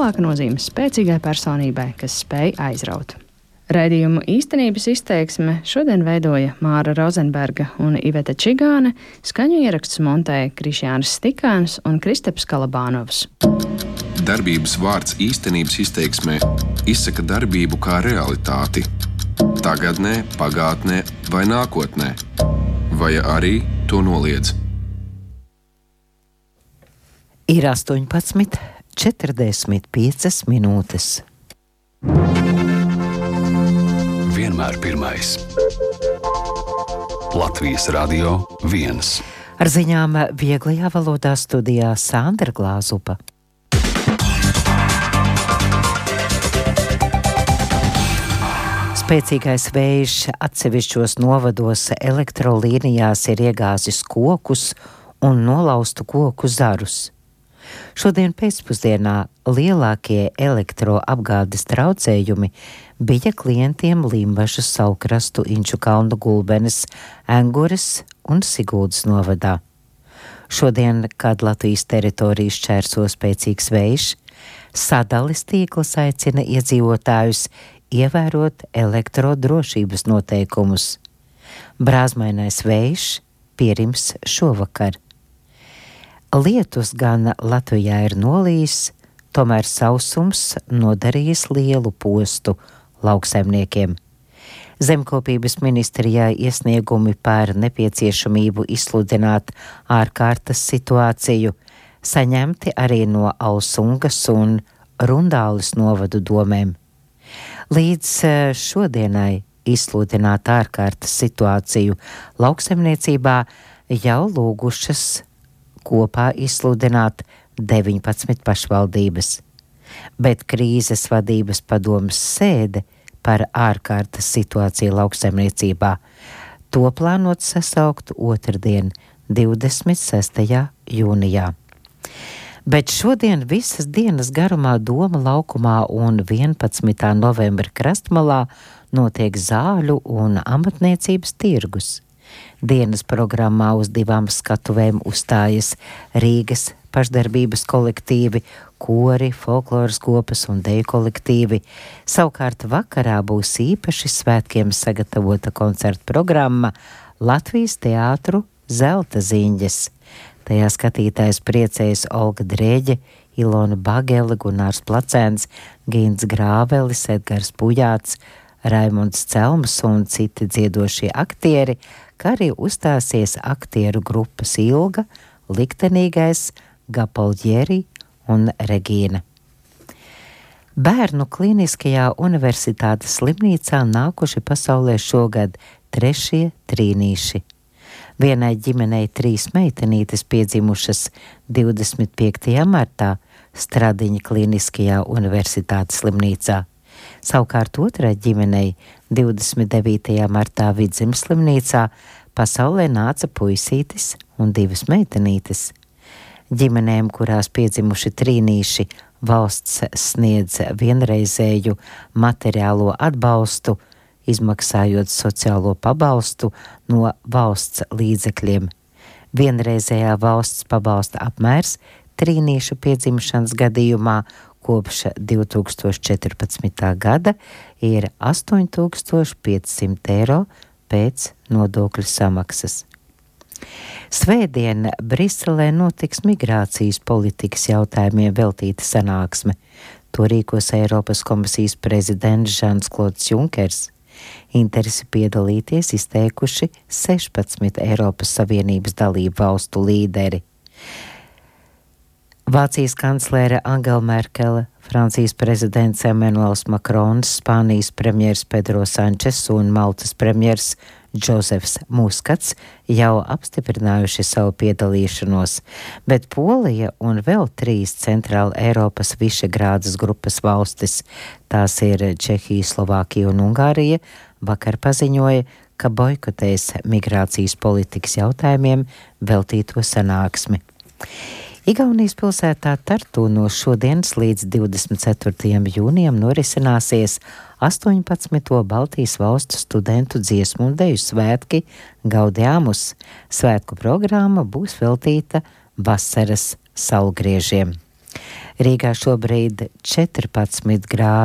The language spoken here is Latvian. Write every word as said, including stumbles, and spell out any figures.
lielāka nozīme spēcīgai personībai, kas spēj aizraut. Raidījumu īstenības izteiksme šodien veidoja Māra Rozenberga un Iveta Čigāne, skaņu ierakstus montēja Krišjānis Stikāns un Kristaps Kalabānovs. Darbības vārds īstenības izteiksmē izsaka darbību kā realitāti. Tagadnē, pagātnē vai nākotnē. Vai arī to noliedz. Ir astoņpadsmit četrdesmit piecas minūtes. Vienmēr pirmais. Latvijas Radio viens. Ar ziņām vieglajā valodā studijā Sandra Glāzupa. Spēcīgais vējš atsevišķos novados elektrolīnijās ir iegāzis kokus un nolaustu koku zarus. Šodien pēcpusdienā lielākie elektroapgādes traucējumi bija klientiem Limbažas, Saulkrastu, Inču kalnu, Gulbenes, Engures un Siguldas novadā. Šodien, kad Latvijas teritorijas šķērso spēcīgs vējš, sadales tīkls aicina iedzīvotājus ievērot elektrodrošības noteikumus. Brāzmainais vējš pierims šovakar. Lietus gan Latvijā ir nolījis, tomēr sausums nodarījis lielu postu lauksaimniekiem. Zemkopības ministrijā iesniegumi par nepieciešamību izsludināt ārkārtas situāciju saņemti arī no Alsungas un Rundāles novadu domēm. Līdz šodienai izsludināt ārkārtas situāciju lauksaimniecībā jau lūgušas kopā izsludināt deviņpadsmit pašvaldības, bet krīzes vadības padomes sēde par ārkārtas situāciju lauksaimniecībā to plānot sasaukt otrdien, divdesmit sestajā jūnijā. Bet šodien visas dienas garumā Doma laukumā un vienpadsmitā novembra krastmalā notiek zāļu un amatniecības tirgus. Dienas programmā uz divām skatuvēm uzstājas Rīgas pašdarbības kolektīvi, kori, folkloras kopas un deju kolektīvi. Savukārt vakarā būs īpaši svētkiem sagatavota koncerta programma Latvijas teātru Zelta ziņģes. Tajā skatītājs priecējas Olga Drēģe, Ilona Bagele, Gunārs Placēns, Gints Grāvelis, Edgars Pujāts, Raimunds Celms un citi dziedošie aktieri, kā arī uzstāsies aktieru grupas Ilga, Liktenīgais, Gapolģieri un Regīna. Bērnu klīniskajā universitātes slimnīcā nākuši pasaulē šogad trešie trīnīši. Vienai ģimenei trīs meitenītes piedzimušas divdesmit piektajā martā Stradiņa klīniskajā universitātes slimnīcā. Savukārt otrai ģimenei divdesmit devītajā martā Vidzemes slimnīcā pasaulē nāca puisītis un divas meitenītes. Ģimenēm, kurās piedzimuši trīnīši, valsts sniedz vienreizēju materiālo atbalstu, izmaksājot sociālo pabalstu no valsts līdzekļiem. Vienreizējā valsts pabalsta apmērs trīnīšu piedzimšanas gadījumā kopš divi tūkstoši četrpadsmitā gada ir astoņi tūkstoši piecsimt eiro pēc nodokļu samaksas. Svētdien Briselē notiks migrācijas politikas jautājumiem veltīta sanāksme. To rīkos Eiropas komisijas prezidents Žans-Klods Junkers. Interesi piedalīties izteikuši sešpadsmit Eiropas Savienības dalību valstu līderi. Vācijas kanclere Angela Merkele, Francijas prezidents Emmanuels Macrons, Spānijas premjers Pedro Sančes un Maltas premjers Džozefs Muskats jau apstiprinājuši savu piedalīšanos, bet Polija un vēl trīs centrāla Eiropas Višegrādas grupas valstis, tās ir Čehija, Slovākija un Ungārija, vakar paziņoja, ka boikotēs migrācijas politikas jautājumiem veltīto sanāksmi. Igaunijas pilsētā Tartu no šodienas līdz divdesmit ceturtajam jūnijam norisināsies astoņpadsmito Baltijas valstu studentu dziesmu un deju svētki Gaudeamus. Svētku programma būs veltīta vasaras saulgriežiem. Rīgā šobrīd četrpadsmit grādi.